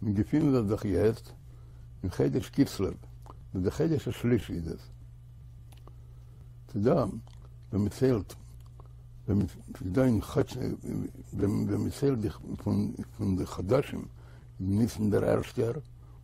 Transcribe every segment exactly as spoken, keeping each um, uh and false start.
מיר געפינען זיך דאך יעצט אין חודש כסלו, וואס דער חודש השלישי איז עס. ס'איז דא ווען מען ציילט, ווען מען ס'איז דא אין חודש, ווען מען ציילט די פון די חדשים, איז ניסן דער ערשטער,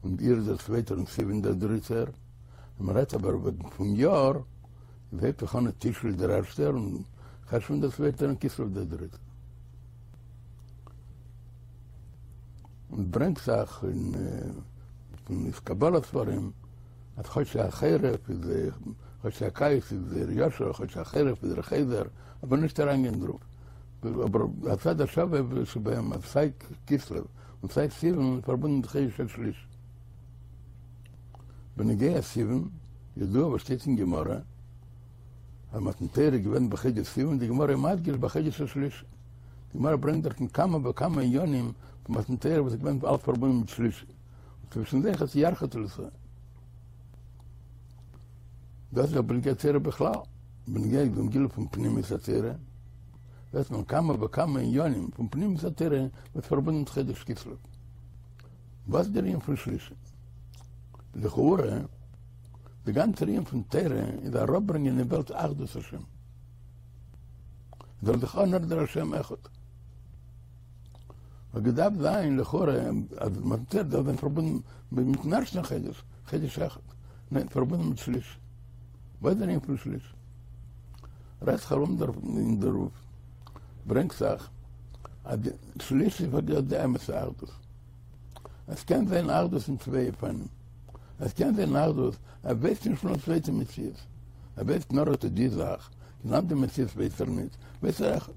און אייר דער צווייטער און סיוון דער דריטער. ווען מען רעדט אבער פון יאר, איז הייבט זיך אן תשרי דער ערשטער, און חשוון דער צווייטער און כסלו דער דריטער. און ברענגט זיך אין פון קבלה ספרים אז חודשי החורף איז חודשי הקיץ איז דער ישר, חודשי החורף איז דער חוזר, אבער נישט אריינגיין דערויף. אבער הצד השווה שבהם אז סיי כסלו און סיי סיוון איז פארבונדן מיט חודש השלישי. בנוגע סיוון, ידוע וואס שטייט אין גמרא אז מתן תורה איז געווען בחודש סיוון, די גמרא איז מדגיש בחודש השלישי. די גמרא ברענגט דארטן כמה וכמה עניינים פון מתן תורה וואס איז געווען אלץ פארבונדן מיט שלישי, און צווישן זיי אויך ירחא תליתאי. דאס איז בנוגע תורה בכלל, בנוגע דעם גילוי פון פנימיות התורה, זעט מען כמה וכמה עניינים פון פנימיות התורה וואס פארבונדן מיט חודש כסלו. וואס איז דער ענין פון שלישי? לכאורה, די גאנצע ענין פון תורה איז אראפברענגען אין וועלט אחדות השם. זאל זיך אנהערן דער השם אחד. האט געדארפט זיין לכאורה אז מתן תורה דארף זיין פארבונדן מיטן ערשטן חודש, חודש אחד, ניין, פארבונדן מיט שלישי. וואס איז דער ענין פון שלישי? רעדט זיך ארום אין דערויף, ברענגט זיך אז די שלישי האט די אמת'ע אחדות. עס קען זיין אחדות אין צוויי אופנים. עס קען זיין אחדות, ער ווייסט נישט פון א צווייטע מציאות. ער ווייסט נאר אט די זאך, קיין אנדער מציאות ווייסט ער נישט, ווייסט ער אחד.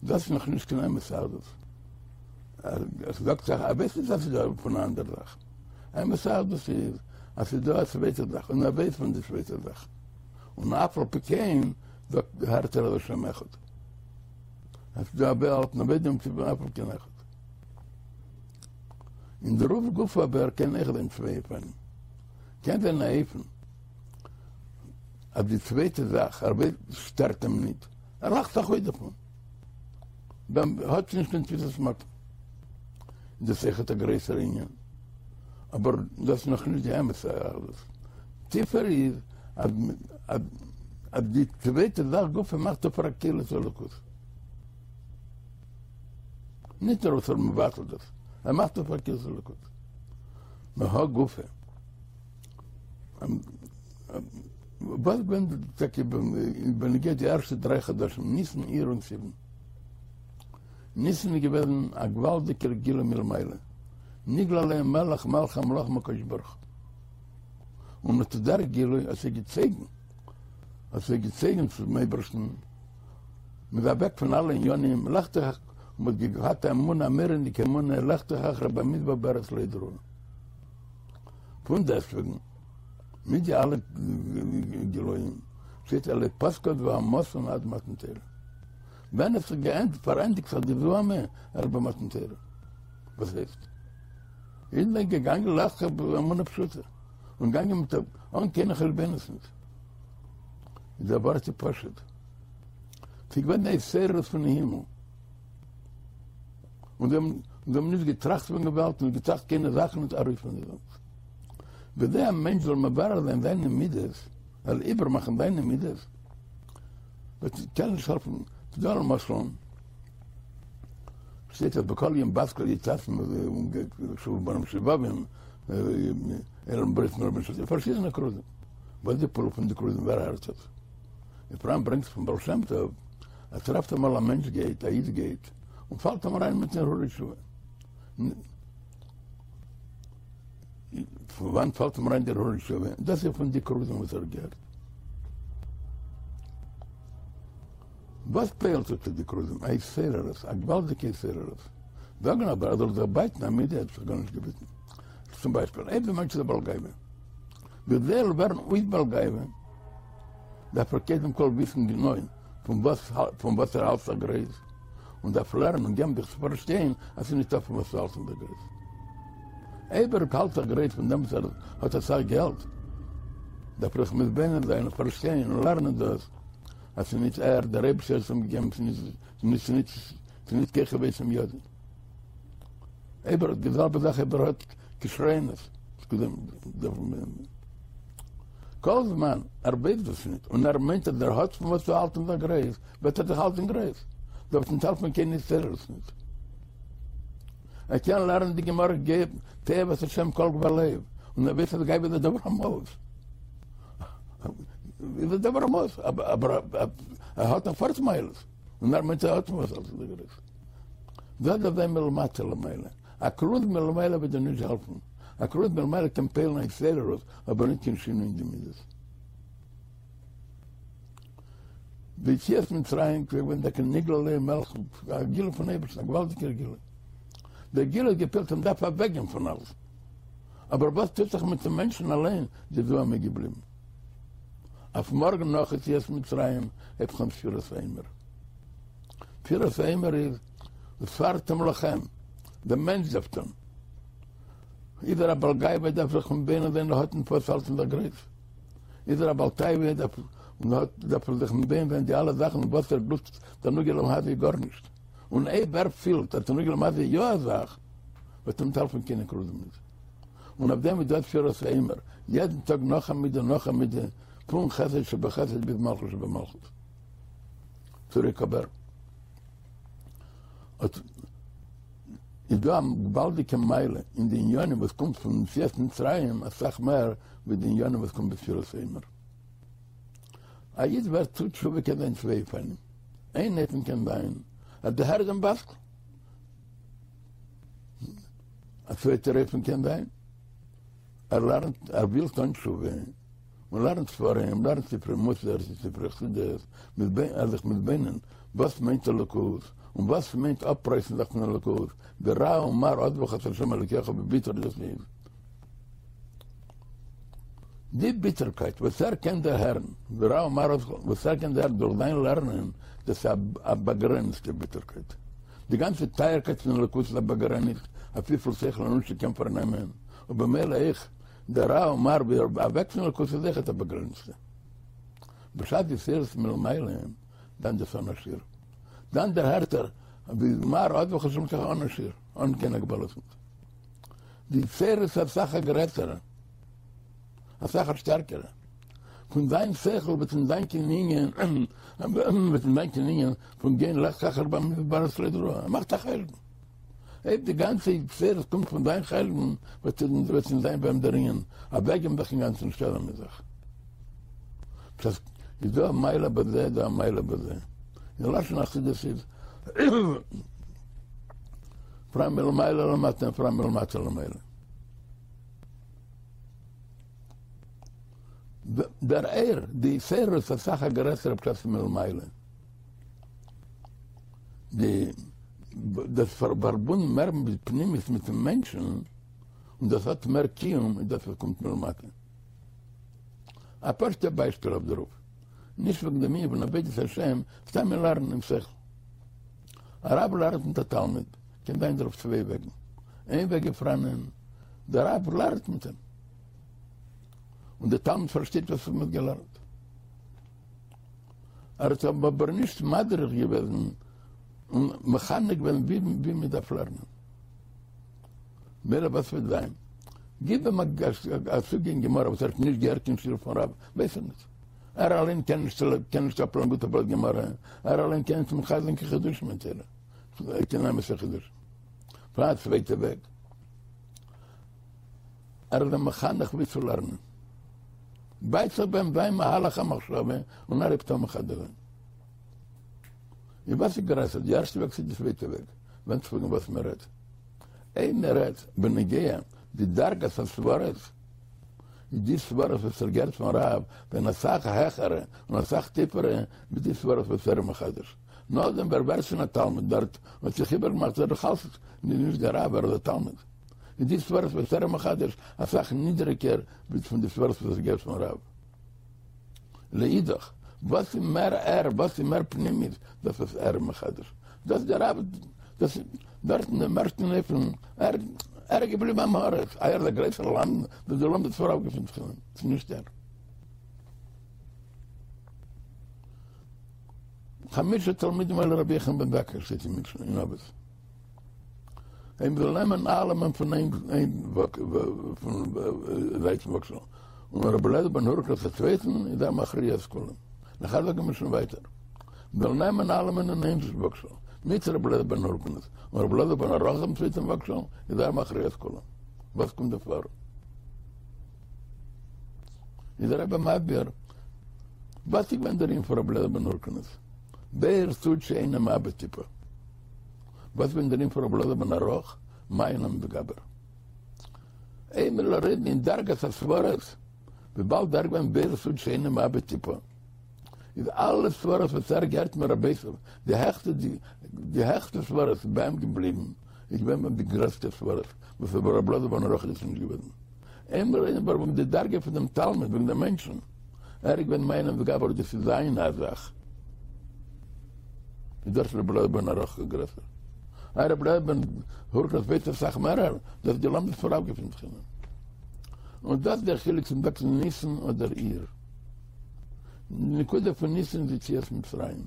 דאס איז נאך נישט קיין אמת'ע אחדות. עס זאגט זיך, ער ווייסט נישט אז ס'איז דא פון א אנדער זאך. אמת'ע אחדות איז אז ס'איז דא א צווייטע זאך און ער ווייסט פון די צווייטע זאך. און אף על פי כן זאגט הערט ער אז השם אחד. עס איז דא א וועלט און ער ווייסט דעם ציבור אף על פי כן אחד. אין דערויף גופא אבער קען אויך זיין צוויי אופנים. קען זיין א אופן אז די צווייטע זאך ער ווייסט שטערט אים ניט, ער לאכט זיך אויס דערפון, דאן האט נישט קיין תפיסת מקום. איז דאס אויכעט א גרעסערע ענין, אבער דאס איז נאך נישט די אמת'ע אחדות. טיפער איז אז אז די צווייטע זאך גופא מאכט ער פאר א כלי צו אלוקות. נישט נאר וואס ער מבטל דאס, ער מאכט עס פאר א כלי צו אלוקות. מהא גופא. וואס געווען טאקע בנוגע די ערשטע דריי חדשים, ניסן, אייר און סיוון. ניסן איז געוועזן א געוואלדיגער גילוי מלמעלה, נגלה עליהם מלך מלכי המלכים הקדוש ברוך הוא. און אט דער גילוי האט זיי געצויגן, האט זיי געצויגן צום אייבערשטן, מ'איז אוועק פון אלע עניינים, לכתך, און מ'האט געהאט א אמונה, א מורא'דיגע אמונה, לכתך אחרי במדבר בארץ לא זרועה. פון דעסטוועגן, מיט די אלע גילויים, שטייט לא פסקה זוהמתן עד מתן תורה. ווען עס האט געענדיגט, פארענדיגט זיך די זוהמה, ערשט ביי מתן תורה. וואס הייסט? אידן זענען געגאנגען לכתך באמונה פשוטה, און געגאנגען מיט אן קיינע חשבונות נישט. איז דער ווארט איז פשוט. ס'איז געווען די התעוררות פון הימל. און זיי האבן זיי האבן נישט געטראכט פון די וועלט, נישט געטראכט קיינע זאכן נישט ארויס פון די וועלט. בכדי א מענטש זאל מברר זיין זיינע מידות, זאל איבערמאכן זיינע מידות, וועט קען נישט העלפן. ס'דא למשל, שטייט אז בכל יום בת קול יצאת שובו בנים שובבים, עולם ברית מרבין של פארשידענע כרוזים. וואס איז די פעולה פון די כרוזים? ווער הערט עס? פאראן ברענגט פון בעל שם טוב אז טרעפט אמאל א מענטש גייט, א איד גייט, און פאלט אים אריין מיט הרהור תשובה. פון וואנעט פאלט אים אריין דער הרהור תשובה? דאס איז פון די כרוזים וואס ער האט געהערט. וואס פועל'ט אט די כרוזים? א התעוררות, א געוואלדיגע התעוררות. זאגן אבער אז זאל זיך בייטן א מידה האט זיך גארנישט געביטן. צום ביישפיל, אויב דער מענטש איז א בעל גאווה, בכדי ער זאל ווערן אויס בעל גאווה, דארף ער קודם כל וויסן גענוי פון וואס פון וואס ער האלט זיך גרויס, און דארף לערנען און געבן זיך צו פארשטיין אז ס'איז נישטא פון וואס צו האלטן זיך גרויס. אויב ער האלט זיך גרויס פון דעם וואס ער האט אסאך געלט, דארף ער זיך מתבונן זיין און פארשטיין און לערנען דאס אז ס'איז נישט ער, דער אייבערשטער האט עס אים געגעבן, ס'איז נישט ס'איז נישט כוחי ועוצם ידי. אויב ער האט די זעלבע זאך אויב ער האט כשרונות, כל זמן ער ווייסט דאס ניט און ער מיינט אז ער האט פון וואס צו האלטן זיך גרויס, וועט ער זיך האלטן גרויס, דא וועט ניט העלפן קיין התעוררות ניט. ער קען לערנען די גמרא תועבת השם כל גבה לב, און ער ווייסט אז גאוה איז א דבר המאוס. איז א דבר המאוס, אבער ער האט נאך פארט מעלות, און ער מיינט ער האט פון וואס האלטן זיך גרויס. דאס דארף זיין מלמטה למעלה. א כרוז מלמעלה וועט דיר נישט העלפן. א כרוז מלמעלה קען פועל'ן א התעוררות, אבער נישט קיין שינוי אין די מידות. ביציאת מצרים איז געווען טאקע נגלה עליהם מלך, א גילוי פון אייבערשטן, א געוואלדיגער גילוי. דער גילוי האט געפועלט אז מ'דארף אוועקגיין פון אלעס. אבער וואס טוט זיך מיט'ן מענטשן אליין, די זוהמא איז געבליבן. אויף מארגן נאך יציאת מצרים הייבט זיך אן ספירת העומר. ספירת העומר איז וספרתם לכם, דער מענטש דארף טון. איז ער א בעל גאווה דארף זיך מתבונן זיין ער האט נישט וואס האלטן זיך גרויס. איז ער א בעל תאווה דארף און האט דארף ער זיך מתבונן זיין די אלע זאכן וואס ער גלוסט תענוגי עולם הזה איז גארנישט. און אויב ער פילט אז תענוגי עולם הזה איז יא א זאך וועט אים נישט העלפן קיין כרוזים נישט. און אויף דעם איז דא ספירת העומר יעדן טאג נאך א מידה נאך א מידה פון חסד שבחסד ביז מלכות שבמלכות. צוריק אבער אט איז דא א געוואלדיגע מעלה אין די עניינים וואס קומט פון יציאת מצרים אסאך מער ווי די עניינים וואס קומט בספירת העומר. א איד ווערט טוט תשובה קען זיין צוויי אופנים, איין אופן קען זיין אז דערהערט דעם בת קול, א צווייטער אופן קען זיין ער לערנט ער וויל טון תשובה און לערנט ספרים, לערנט ספרי מוסר, ספרי חסידות, ער זיך מתבונן וואס מיינט אלוקות, און וואס מיינט אפרייסן זיך פון אלוקות, ווי רע ומר עזבך את ה' אלוקיך ווי ביטער דאס איז. די ביטערקייט וואס ער קען דערהערן, ווי רע ומר עזבך, וואס ער קען דערהערן דורך זיין לערנען, דאס איז א באגרעניצטע ביטערקייט. די גאנצע טייערקייט פון אלוקות איז א באגרעניצט אויף וויפיל שכל אנושי קען פארנעמען, ובמילא אויך דער רע ומר ווי אוועק פון אלוקות איז אויכעט א באגרעניצטע. בשעת די התעוררות מלמעלה, דאן דאס אן א שיעור. דאן דערהערט ער ווי מר עזבך ה' אלקיך אן א שיעור, אן קיין הגבלות. די התעוררות איז אסאך א גרעסערע, אסאך א שטערקערע. פון זיין שכל וועט נישט זיין קיין ענין, וועט נישט זיין קיין ענין פון גיין לך אחר במדבר בארץ לא זרועה. ער מאכט א חשבון. אויב די גאנצע התעוררות קומט פון זיין חשבון, וועט נישט זיין ביי אים דער ענין אוועקגעבן זיך אינגאנצן שטעלן מיט זיך. דאס איז דא א מעלה בזה, דא א מעלה בזה. אין לשון החסידות איז פאראן מלמעלה למטה און פאראן מלמטה למעלה. דער אור, די התעוררות איז אסאך א גרעסערע בשעת מלמעלה. די דאס פארבונדן מער מיט פנימיות מיטן מענטשן, און דאס האט מער קיום איז דאס וואס קומט מלמטה. א פשוט'ע ביישפיל אויף דערויף, נישט וועגן דעם ענין פון עבודת השם, סתם אין לערנען אין שכל. א רב לערנט מיט א תלמיד, קען זיין דערויף צוויי וועגן. איין וועג איז פאראנען, דער רב לערנט מיט אים, און דער תלמיד פארשטייט וואס מען האט געלערנט. ער האט אים אבער נישט מדריך געוועזן און מחנך געווען ווי מען דארף לערנען. מילא וואס וועט זיין? גיב אים א סוגיא אין גמרא וואס ער האט נישט געהערט קיין שיעור פון רב, ווייס ער נישט. ער אליין קען נישט קען נישט אפלערנען גוט א בלאט גמרא, ער אליין קען נישט מחדש זיין קיין חידושים אין תורה, קיין אמת'ע חידושים. פאראן א צווייטע וועג, ער איז אים מחנך ווי צו לערנען. בייט זיך ביי אים זיין מהלך המחשבה און ער הייבט אן מחדש זיין. איז וואס איז גרעסער, די ערשטע וועג צו די צווייטע וועג? ווענדט זיך וועגן וואס מען רעדט. אויב מען רעדט בנוגע די דרגת הסברות, איז די סברות וואס ער געהערט פון רב זענען אסאך העכערע און אסאך טיפערע ווי די סברות וואס ער איז מחדש. נאכדעם ווי ער ווערט שוין א תלמיד דארט און האט זיך איבערגעמאכט איז ער נאך אלץ נישט דער רב, ער איז א תלמיד. איז די סברות וואס ער איז מחדש אסאך נידריגער ווי פון די סברות וואס ער געהערט פון רב. לאידך, וואס איז מער ער, וואס איז מער פנימית, דאס וואס ער איז מחדש. דאס דער רב, דאס דארט אין דעם ערשטן אופן, ער ער איז געבליבן עם הארץ, איי ער איז א גרויסער למדן, דאס די לומדות פון רב געפינט זיך אין אים, ס'איז נישט ער. חמשה תלמידים היו לרבי יוחנן בן זכאי שטייט אין משנה אין אבות. אויב מ'זאל נעמען אלעמען פון איין זייט פון וואגשאל, און רבי אליעזר בן הורקנוס א צווייטן, איז ער מכריע את כולם. נאכער זאגן מיר שוין ווייטער, מ'זאל נעמען אלעמען אין איין וואגשאל, מיט רבי אליעזר בן הורקנוס, און רבי אלעזר בן ערך אין צווייטן וואגשאל, איז ער מכריע את כולם. וואס קומט דא פאר? איז דער רבי מסביר, וואס איז געווען דער ענין פון רבי אליעזר בן הורקנוס? באר סוד שאינו מאבד טיפה. וואס איז געווען דער ענין פון רבי אלעזר בן ערך? מעיין המתגבר. אויב מ'זאל רעדן אין דרגת הסברות, וויבאלד ער איז געווען באר סוד שאינו מאבד טיפה, איז אלע סברות וואס ער האט געהערט מרבותיו, די העכסטע די העכסטע סברות איז ביי אים געבליבן, איז געווען ביי אים די גרעסטע סברות, וואס ביי רבי אלעזר בן ערך איז עס נישט געווען. אויב מ'זאל רעדן אבער וועגן די דרגה פון דעם תלמיד, וועגן דעם מענטשן, ער איז געווען מעיין המתגבר, דאס איז זיין א זאך. איז דארט רבי אליעזר בן ערך גרעסער. איי רבי אליעזר בן הורקנוס ווייסט אסאך מערער, דאס די לומדות פון רב געפינט זיך אין אים. און דאס איז דער חילוק צו מ'זאגט ניסן אדער אייר. די נקודה פון ניסן איז יציאת מצרים.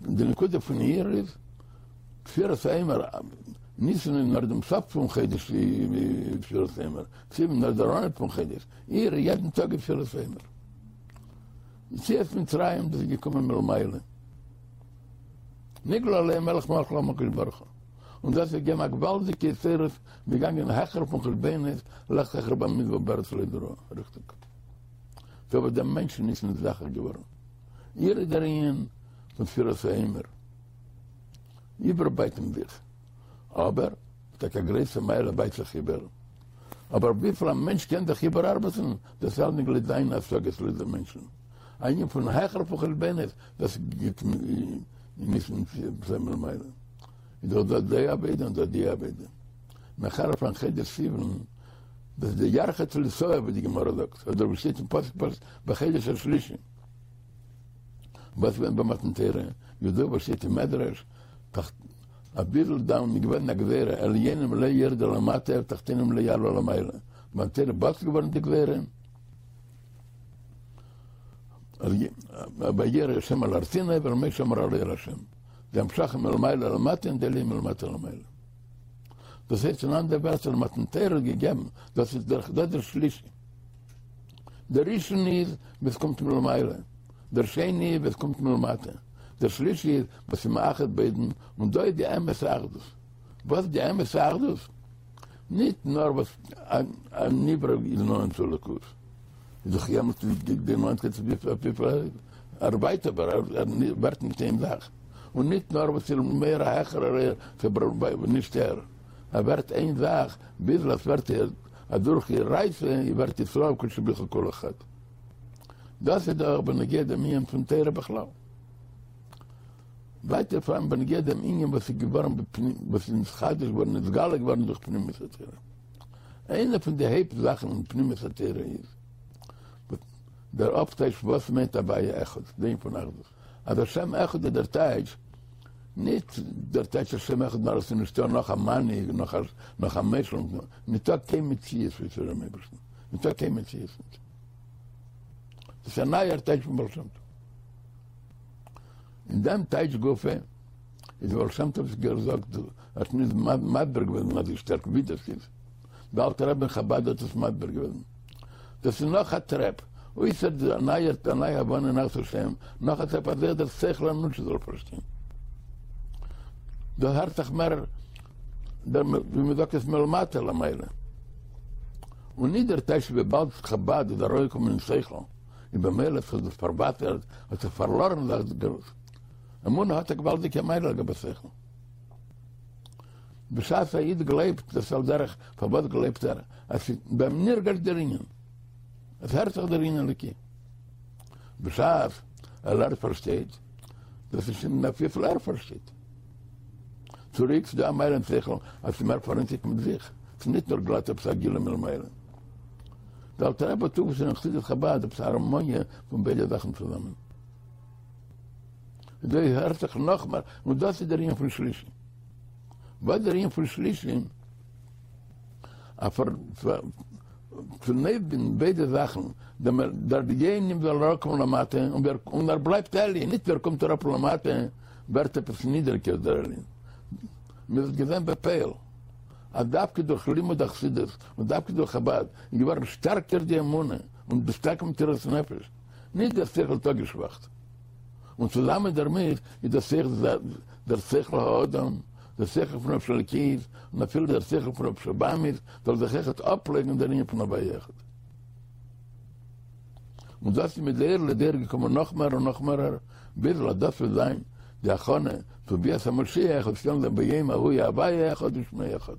די נקודה פון אייר איז ספירת העומר, ניסן איז נאר דעם סוף פון חודש ספירת העומר, סיוון נאר דער אנהייב פון חודש, אייר יעדן טאג איז ספירת העומר. יציאת מצרים דאס איז געקומען מלמעלה. נגלה עליהם מלך מלכי המלכים הקדוש ברוך הוא. און דאס האט געגעבן א געוואלדיגע התעוררות, מ'איז געגאנגען העכער פון חשבונות, לך לך במדבר בארץ לא זרועה, ריכטיג. ס'איז אבער דעם מענטשן נישט נזדכך געווארן. אייר איז דער ענין פון ספירת העומר. איבערבייטן זיך. אבער, טאקע א גרויסע מעלה בייט זיך איבער. אבער וויפיל א מענטש קען זיך איבערארבעטן, דאס איז אלץ לויט זיינע השגות לויט דעם מענטשן. א ענין פון העכער פון חשבונות, דאס גיט נישט מלמעלה. איז דאך דא די עבודה און דא די עבודה. נאכער פון חודש סיוון, דאס איז די ירחא תליתאי ווי די גמרא זאגט, אדער ווי שטייט אין פסוק בחודש השלישי. וואס געווען ביי מתן תורה, ידוע וואס שטייט אין מדרש, אביסל דאן איז געווען א גזירה, עליונים לא ירדו למטה ותחתונים לא יעלו למעלה, מתן תורה בטל געווארן די גזירה, וירא השם על הר סיני ואל משה אמר עלה אל השם, די המשכה מלמעלה למטה און די עליה מלמטה למעלה. דאס הייסט אין אנדערע ווערטער מתן תורה האט געגעבן, דאס איז דער שלישי. דער ראשון איז וואס קומט מלמעלה, דער שני איז וואס קומט מלמטה, דער שלישי איז וואס איז מאחד ביידן, און דא איז די אמת'ע אחדות. וואס איז די אמת'ע אחדות? ניט נאר וואס א נברא איז נאנט צו אלוקות, איז דאך יעמאלט די נאנטקייט אויף וויפיל ער ווייט אבער ער ווערט נישט איין זאך, און ניט נאר וואס איז מער א העכערער אור, נישט ער, ער ווערט איין זאך ביז עס ווערט אז דורך אורייתא ווערט ישראל וקודשא בריך הוא כולא חד. דאס איז דאך בנוגע דעם ענין פון תורה בכלל. ווייטער פאראן בנוגע דעם ענין וואס איז געווארן וואס איז נתחדש געווארן נתגלה געווארן דורך פנימיות התורה. איינע פון די הויפט זאכן אין פנימיות התורה איז דער אפטייטש וואס מיינט הוויה אחד, דער ענין פון אחדות. אז השם אחד איז דער טייטש ניט דער טייטש השם אחד נאר עס איז נישטא נאך א מנהיג נאך א נאך א מושל, ניטא קיין מציאות אויסער דעם אייבערשטן, ניטא קיין מציאות ניט. דאס איז א נייער טייטש פון בעל שם טוב. אין דעם טייטש גופא איז בעל שם טוב געזאגט, האט נישט מסביר געווען אזוי שטארק ווי דאס איז. דער אלטער רבי אין חבד האט עס מסביר געווען. דאס איז נאך א טרעפ, אויסער די נייע די נייע הבנה אין אחדות השם, נאך א טרעפ אז אויך דער שכל האנושי זאל פארשטיין. דא הערט זיך מער דער ווי מען זאגט עס מלמטה למעלה. און נישט דער טייטש וויבאלד חבד איז ארויסגעקומען אין שכל, און במילא האט זיך דאס פארוואסערט, האט זיך פארלארן זיך די אמונה האט א געוואלדיגע מעלה לגבי שכל. בשעת א איד גלייבט, דאס על דרך, פארוואס גלייבט ער? אז ס'איז ביי אים נרגש דער ענין, עס הערט זיך דער ענין אלוקי. בשעת ער ער פארשטייט, דאס איז שוין אויף וויפיל ער פארשטייט. צוריק ס'דא א מעלה אין שכל אז ס'איז מער פאראיינציגט מיט זיך, ס'איז נישט נאר גלאט עפעס א גילוי מלמעלה. דער אלטער רבי האט אויפגעשטעלט אין חסידות חבד עפעס א הארמאניע פון ביידע זאכן צוזאמען. אזוי הערט זיך נאכמער, און דאס איז דער ענין פון שלישי. וואס איז דער ענין פון שלישי? א פאר צונויפבינדן ביידע זאכן, דער עליונים זאל אראפקומען למטה, און ער בלייבט עליון, נישט ווי ער קומט אראפ למטה, ווערט עפעס נידעריגער דער ענין. מען האט געזען בפועל אז דווקא דורך לימוד החסידות און דווקא דורך חבד איז געווארן שטארקער די אמונה און די שטארקע מסירות נפש, נישט דער שכל האט אפגעשוואכט. און צוזאמען דערמיט איז דער שכל דער שכל האדם, דער שכל פון נפש אלוקית, און אפילו דער שכל פון נפש הבהמית, זאל זיך אויכעט אפלעגן דער ענין פון הוויה אחד. און דאס איז מדור לדור געקומען נאך מער און נאך מערער, ביז אז דאס וועט זיין די הכנה צו ביאת המשיח, וואס וועט זיין ביום ההוא יהיה הוויה אחד ושמו אחד.